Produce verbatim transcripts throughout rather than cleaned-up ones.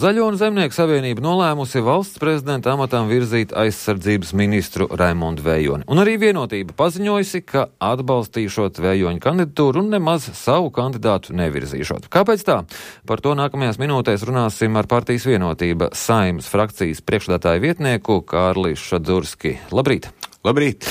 Zaļo un Zemnieku savienība nolēmusi valsts prezidenta amatam virzīt aizsardzības ministru Raimondu Vējoni. Un arī Vienotība paziņojusi, ka atbalstīšot Vējoņa kandidatūru un nemaz savu kandidātu nevirzīšot. Kāpēc tā? Par to nākamajās minūtēs runāsim ar partijas Vienotība Saeimas frakcijas priekšsēdētāju vietnieku Kārli Šadzurski. Labrīt! Labrīt!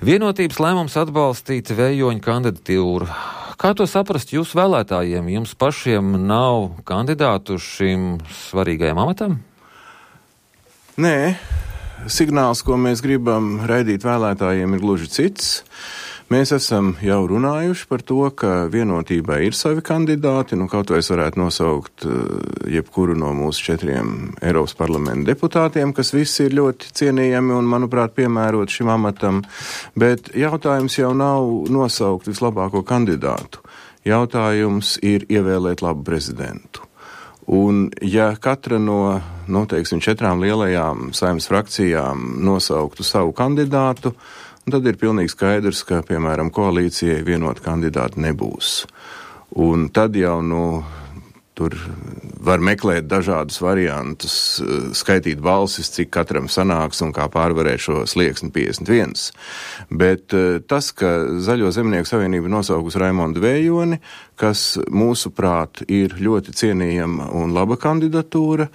Vienotības lēmums atbalstīt Vējoņa kandidatūru. Kā to saprast jūsu vēlētājiem? Jums pašiem nav kandidātu šim svarīgajam amatam? Nē, signāls, ko mēs gribam raidīt vēlētājiem, ir gluži cits. Mēs esam jau runājuši par to, ka Vienotībai ir savi kandidāti, nu kaut vai es varētu nosaukt jebkuru no mūsu četriem Eiropas parlamenta deputātiem, kas visi ir ļoti cienījami un, manuprāt, piemērot šim amatam, bet jautājums jau nav nosaukt vislabāko kandidātu. Jautājums ir ievēlēt labu prezidentu. Un ja katra no, nu, teiksim, četrām lielajām Saeimas frakcijām nosauktu savu kandidātu, tad ir pilnīgi skaidrs, ka, piemēram, koalīcijai vienota kandidāta nebūs. Un tad jau, nu, tur var meklēt dažādus variantus, skaitīt balsis, cik katram sanāks un kā pārvarēt šo slieksni piecdesmit viens. Bet tas, ka Zaļo Zemnieku savienība nosaukusi Raimondu Vējoni, kas mūsuprāt ir ļoti cienījama un laba kandidatūra,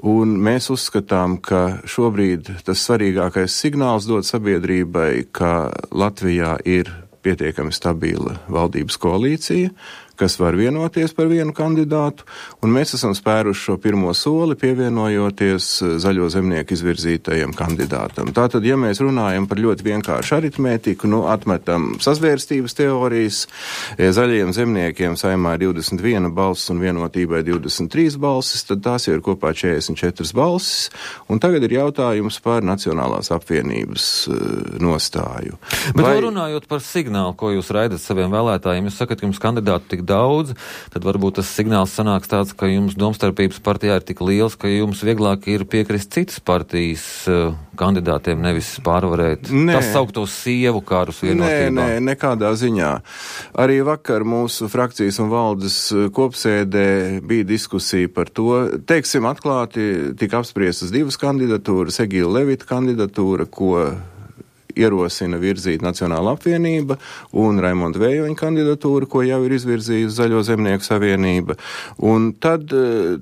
un mēs uzskatām, ka šobrīd tas svarīgākais signāls dod sabiedrībai, ka Latvijā ir pietiekami stabila valdības koalīcija, kas var vienoties par vienu kandidātu, un mēs esam spēruši šo pirmo soli, pievienojoties Zaļo Zemnieku izvirzītajam kandidātam. Tātad, ja mēs runājam par ļoti vienkāršu aritmētiku, nu, atmetam sazvērstības teorijas, Zaļajiem Zemniekiem Saeimā ir divdesmit viena balss un Vienotībai divdesmit trīs balsis, tad tās jau ir kopā četrdesmit četras balsis, un tagad ir jautājums par Nacionālās apvienības nostāju. Bet Vai... runājot par signālu, ko jūs raidat saviem vēlētājiem, jūs sakat, ka jums kandidātu tik daudz, tad varbūt tas signāls sanāks tāds, ka jums domstarpības partijā ir tik liels, ka jums vieglāk ir piekrist citas partijas uh, kandidātiem, nevis pārvarēt nē. Tas sauktos sievu kārus Vienotībā. Nē, nē, nekādā ziņā. Arī vakar mūsu frakcijas un valdes kopsēdē bija diskusija par to. Teiksim, atklāti tika apspriestas divas kandidatūras, Egīla Levita kandidatūra, ko ierosina virzīt Nacionāla apvienība, un Raimonda Vējoņa kandidatūra, ko jau ir izvirzījusi Zaļo Zemnieku savienība. Un tad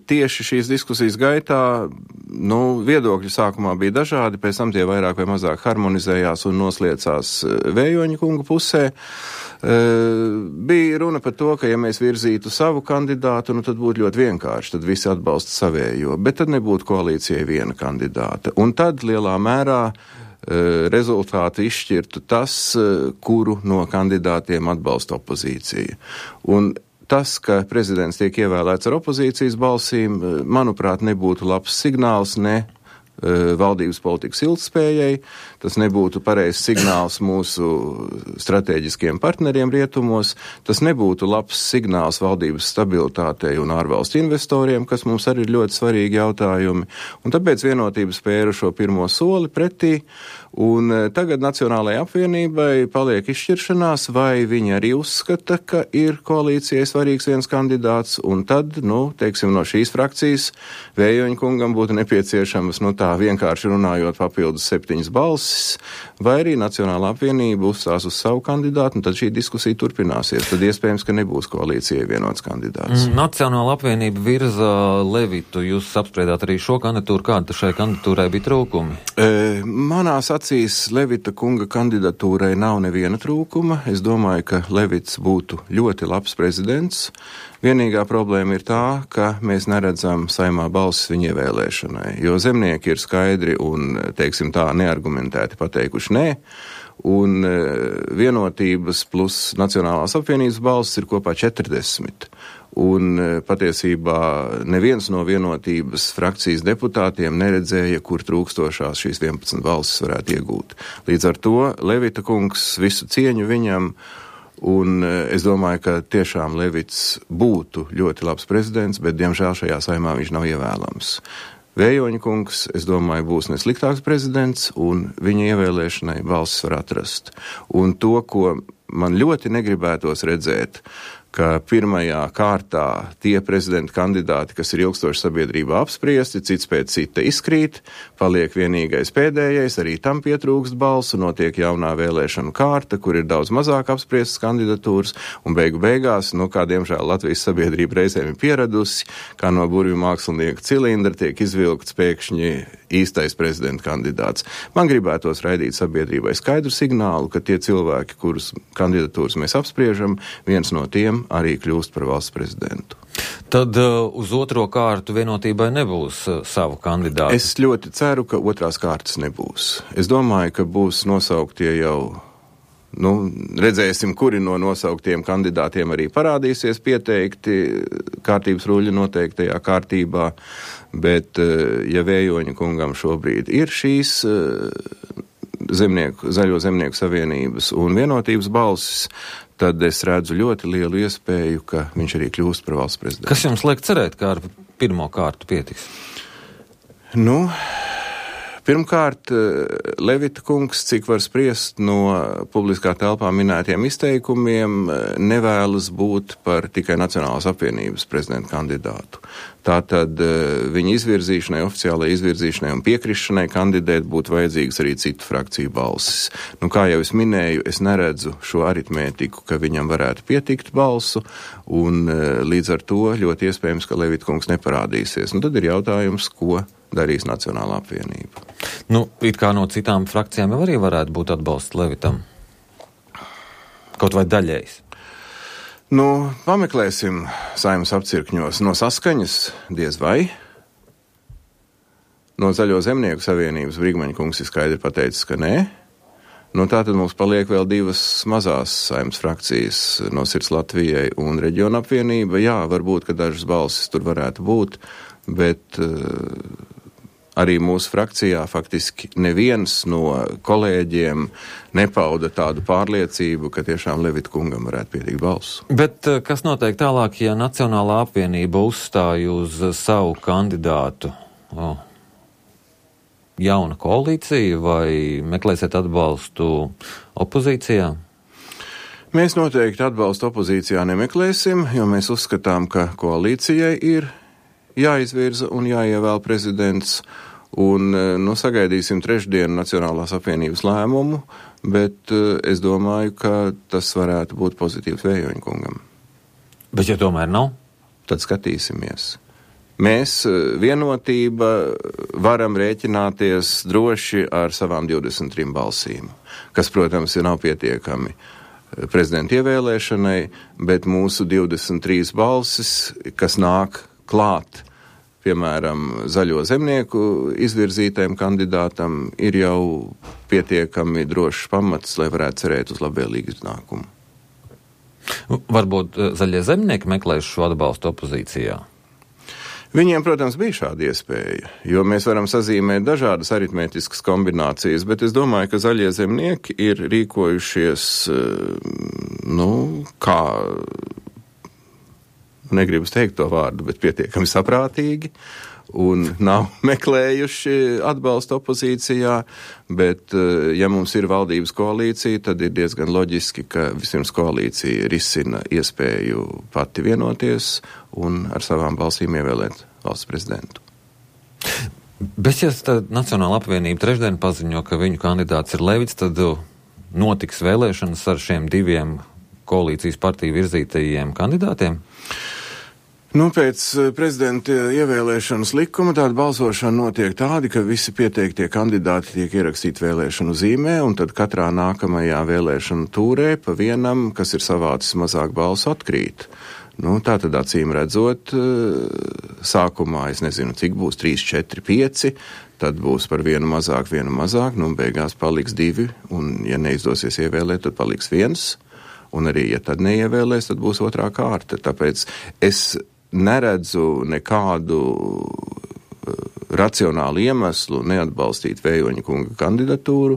tieši šīs diskusijas gaitā, nu, viedokļi sākumā bija dažādi, pēc tam tie vairāk vai mazāk harmonizējās un nosliecās Vējoņa kunga pusē. Uh, bija runa par to, ka ja mēs virzītu savu kandidātu, nu tad būtu ļoti vienkārši, tad visi atbalsta savējo, bet tad nebūtu koalīcijai viena kandidāta. Un tad lielā mērā rezultāti izšķirtu tas, kuru no kandidātiem atbalsta opozīcija. Un tas, ka prezidents tiek ievēlēts ar opozīcijas balsīm, manuprāt, nebūtu labs signāls ne valdības politikas ilgtspējai, tas nebūtu pareizs signāls mūsu strateģiskiem partneriem rietumos, tas nebūtu labs signāls valdības stabilitātei un ārvalstu investoriem, kas mums arī ir ļoti svarīgi jautājumi. Un tāpēc Vienotība spēra šo pirmo soli pretī, un tagad Nacionālajai apvienībai paliek izšķiršanās, vai viņi arī uzskata, ka ir koalīcijai svarīgs viens kandidāts, un tad, nu, teiksim, no šīs frakcijas Vējoņa kungam būtu nepieciešamas, nu, tā vienkārši runājot papildus septiņas balsis, vai arī Nacionālā apvienība uzstās uz savu kandidātu, un tad šī diskusija turpināsies. Tad iespējams, ka nebūs koalīcijai vienots kandidāts. Mm, Nacionāla apvienība virza Levitu. Jūs apspriedāt arī šo kandidatūru. Kāda šai kandidatūrai bija trūkumi? E, manās acīs Levita kunga kandidatūrai nav neviena trūkuma. Es domāju, ka Levits būtu ļoti labs prezidents. Vienīgā problēma ir tā, ka mēs neredzam Saeimā balsis viņa ievēlēšanai, jo zemnieki ir skaidri un, teiksim tā, neargumentēti pateikuši nē, un Vienotības plus Nacionālās apvienības balsis ir kopā četrdesmit. Un patiesībā neviens no Vienotības frakcijas deputātiem neredzēja, kur trūkstošās šīs vienpadsmit balsis varētu iegūt. Līdz ar to Levita kungs, visu cieņu viņam, un es domāju, ka tiešām Levits būtu ļoti labs prezidents, bet diemžēl šajā saimā viņš nav ievēlams. Vējoņa kungs, es domāju, būs nesliktāks prezidents, un viņa ievēlēšanai balsis var atrast. Un to, ko man ļoti negribētos redzēt, ka pirmajā kārtā tie prezidenta kandidāti, kas ir ilgstoši sabiedrībā apspriesti, cits pēc cita izkrīt, paliek vienīgais pēdējais, arī tam pietrūkst balsu, notiek jaunā vēlēšanu kārta, kur ir daudz mazāk apspriestas kandidatūras, un beigu beigās, nu, kā diemžēl Latvijas sabiedrība reizēm ir pieradusi, kā no burvju mākslinieka cilindra tiek izvilkts pēkšņi īstais prezidenta kandidāts. Man gribētos raidīt sabiedrībai skaidru signālu, ka tie cilvēki, kurus kandidatūras mēs apspriežam, viens no tiem arī kļūst par valsts prezidentu. Tad uh, uz otro kārtu vienotībai nebūs uh, savu kandidātu? Es ļoti ceru, ka otrās kārtas nebūs. Es domāju, ka būs nosauktie jau, nu, redzēsim, kuri no nosauktiem kandidātiem arī parādīsies pieteikti kārtības ruļļa noteiktajā kārtībā, bet, uh, ja Vējoņa kungam šobrīd ir šīs uh, zemnieku, Zaļo zemnieku savienības un vienotības balsis, tad es redzu ļoti lielu iespēju, ka viņš arī kļūst par valsts prezidentu. Kas jums liek cerēt, kā ar pirmo kārtu pietiks? Nu, pirmkārt, Levita kungs, cik var spriest no publiskā telpā minētiem izteikumiem, nevēlas būt par tikai Nacionālās apvienības prezidenta kandidātu. Tātad viņa izvirzīšanai, oficiālajai izvirzīšanai un piekrišanai kandidēt būtu vajadzīgas arī citu frakciju balsis. Nu, kā jau es minēju, es neredzu šo aritmētiku, ka viņam varētu pietikt balsu, un līdz ar to ļoti iespējams, ka Levita kungs neparādīsies. Nu, tad ir jautājums, ko darīs Nacionālā apvienība. Nu, it kā no citām frakcijām jau arī varētu būt atbalsts Levitam. Kaut vai daļējs. Nu, pameklēsim Saeimas apcirkņos. No Saskaņas diez vai. No Zaļo zemnieku savienības Brigmaņa kungs ir skaidri pateicis, ka nē. Nu, tā tad mums paliek vēl divas mazās Saeimas frakcijas, no Sirds Latvijai un Reģiona apvienība. Jā, varbūt, ka dažas balsis tur varētu būt, bet uh, arī mūsu frakcijā faktiski neviens no kolēģiem nepauda tādu pārliecību, ka tiešām Levita kungam varētu pietikt balsu. Bet kas notiek tālāk, ja Nacionālā apvienība uzstāja uz savu kandidātu? O, jauna koalīcija vai meklēsiet atbalstu opozīcijā? Mēs noteikti atbalstu opozīcijā nemeklēsim, jo mēs uzskatām, ka koalīcijai ir jāizvirza un jāievēl prezidents, un, nu, sagaidīsim trešdienu Nacionālās apvienības lēmumu, bet es domāju, ka tas varētu būt pozitīvs Vējoņa kungam. Bet ja tomēr nav? Tad skatīsimies. Mēs, vienotība, varam rēķināties droši ar savām divdesmit trim balsīm, kas, protams, ir nav pietiekami prezidenta ievēlēšanai, bet mūsu divdesmit trīs balsis, kas nāk klāt, piemēram, Zaļo zemnieku izvirzītajam kandidātam, ir jau pietiekami drošs pamats, lai varētu cerēt uz labvēlīgu iznākumu. Varbūt Zaļie zemnieki meklēs šo atbalstu opozīcijā? Viņiem, protams, bija šāda iespēja, jo mēs varam sazīmēt dažādas aritmētiskas kombinācijas, bet es domāju, ka Zaļie zemnieki ir rīkojušies, nu, kā... negribu teikt to vārdu, bet pietiekami saprātīgi, un nav meklējuši atbalstu opozīcijā, bet, ja mums ir valdības koalīcija, tad ir diezgan loģiski, ka vispirms koalīcija risina iespēju pati vienoties un ar savām balsīm ievēlēt valsts prezidentu. Bet, ja tad Nacionāla apvienība trešdien paziņo, ka viņu kandidāts ir Levits, tad notiks vēlēšanas ar šiem diviem koalīcijas partiju virzītajiem kandidātiem? Nu, pēc prezidenta ievēlēšanas likuma tāda balsošana notiek tādi, ka visi pieteiktie kandidāti tiek ierakstīti vēlēšanu zīmē, un tad katrā nākamajā vēlēšanu tūrē pa vienam, kas ir savācis mazāk balsu, atkrīt. Nu, tā tad acīm redzot, sākumā es nezinu, cik būs trīs, četri, pieci, tad būs par vienu mazāk, vienu mazāk, nu, beigās paliks divi, un ja neizdosies ievēlēt, tad paliks viens, un arī, ja tad neievēlēs, tad būs otrā kārta. Tāpēc es neredzu nekādu racionālu iemeslu neatbalstīt Vējoņa kunga kandidatūru,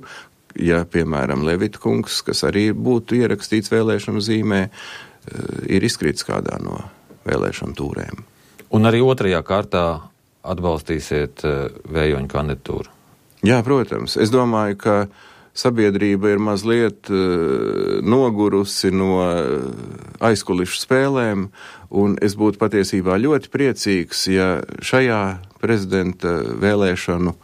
ja, piemēram, Levita kungs, kas arī būtu ierakstīts vēlēšanu zīmē, ir izkrīts kādā no vēlēšanu tūrēm. Un arī otrajā kārtā atbalstīsiet Vējoņa kandidatūru? Jā, protams. Es domāju, ka sabiedrība ir mazliet uh, nogurusi no aizkulišu spēlēm, un es būtu patiesībā ļoti priecīgs, ja šajā prezidenta vēlēšanu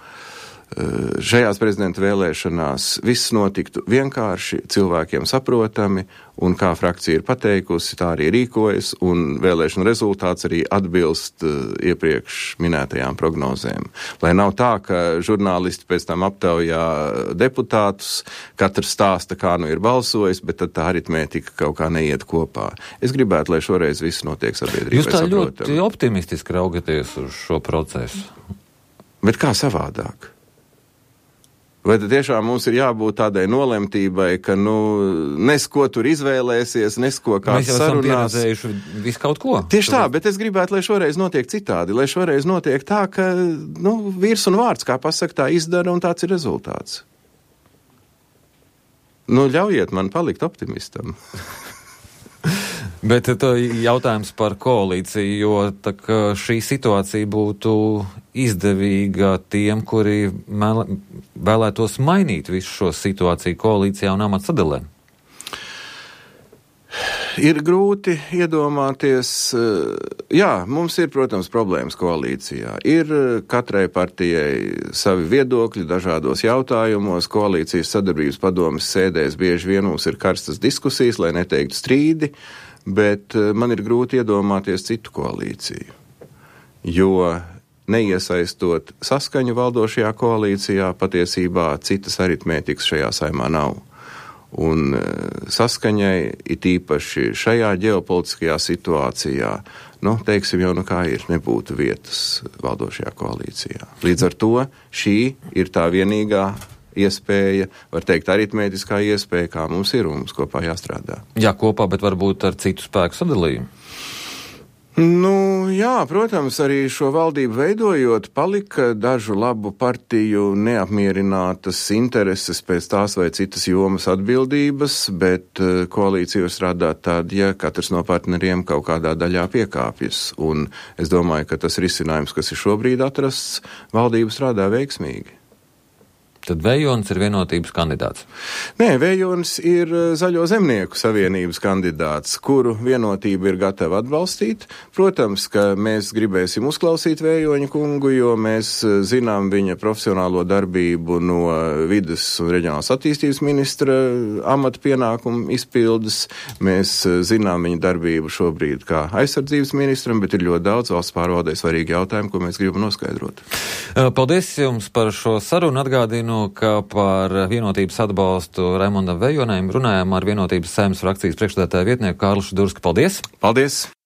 Šajās prezidenta vēlēšanās viss notiktu vienkārši, cilvēkiem saprotami, un kā frakcija ir pateikusi, tā arī rīkojas, un vēlēšanu rezultāts arī atbilst uh, iepriekš minētajām prognozēm. Lai nav tā, ka žurnālisti pēc tam aptaujā deputātus, katrs stāsta, kā nu ir balsojis, bet tad tā aritmētika kaut kā neiet kopā. Es gribētu, lai šoreiz viss notiek sabiedrībai Jūs tā saprotami. ļoti optimistiski raugaties uz šo procesu. Bet kā savādāk? Vai tad tiešām mums ir jābūt tādai nolemtībai, ka, nu, nes ko tur izvēlēsies, nes ko kāds sarunās? Mēs jau esam pieredzējuši visu kaut ko. Tieši tā, bet es gribētu, lai šoreiz notiek citādi, lai šoreiz notiek tā, ka, nu, vīrs un vārds, kā pasaka, tā izdara, un tāds ir rezultāts. Nu, ļaujiet man palikt optimistam. Bet tā jautājums par koalīciju, jo tā, šī situācija būtu izdevīga tiem, kuri mēl, vēlētos mainīt visu šo situāciju koalīcijā un amatsadalē. Ir grūti iedomāties, jā, mums ir, protams, problēmas koalīcijā. Ir katrai partijai savi viedokļi dažādos jautājumos, koalīcijas sadarbības padomes sēdēs bieži vien mums ir karstas diskusijas, lai neteiktu strīdi, bet man ir grūti iedomāties citu koalīciju, jo neiesaistot saskaņu valdošajā koalīcijā, patiesībā citas aritmētikas šajā saimā nav. Un saskaņai, it īpaši šajā ģeopolitiskajā situācijā, nu, teiksim jau, nu kā ir, nebūtu vietas valdošajā koalīcijā. Līdz ar to šī ir tā vienīgā iespēja, var teikt, aritmētiskā iespēja, kā mums ir, un mums kopā jāstrādā. Jā, kopā, bet varbūt ar citu spēku sadalījumu. Nu, jā, protams, arī šo valdību veidojot, palika dažu labu partiju neapmierinātas intereses pēc tās vai citas jomas atbildības, bet koalīcija strādā tad, ja katrs no partneriem kaut kādā daļā piekāpjas. Un es domāju, ka tas risinājums, kas ir šobrīd atrasts, valdība strādā veiksmīgi. Tad Vējons ir vienotības kandidāts? Nē, Vējons ir Zaļo zemnieku savienības kandidāts, kuru vienotība ir gatava atbalstīt. Protams, ka mēs gribēsim uzklausīt Vējoņa kungu, jo mēs zinām viņa profesionālo darbību no vides un reģionālās attīstības ministra amata pienākumu izpildes. Mēs zinām viņa darbību šobrīd kā aizsardzības ministram, bet ir ļoti daudz valsts pārvaldē svarīgi jautājumi, ko mēs gribam noskaidrot. Paldies jums par šo sarunu. Atgādinu, ka par vienotības atbalstu Raimondam Vējonam runājām ar vienotības Saeimas frakcijas priekšsēdētāja vietnieku Kārli Šudursku. Paldies! Paldies!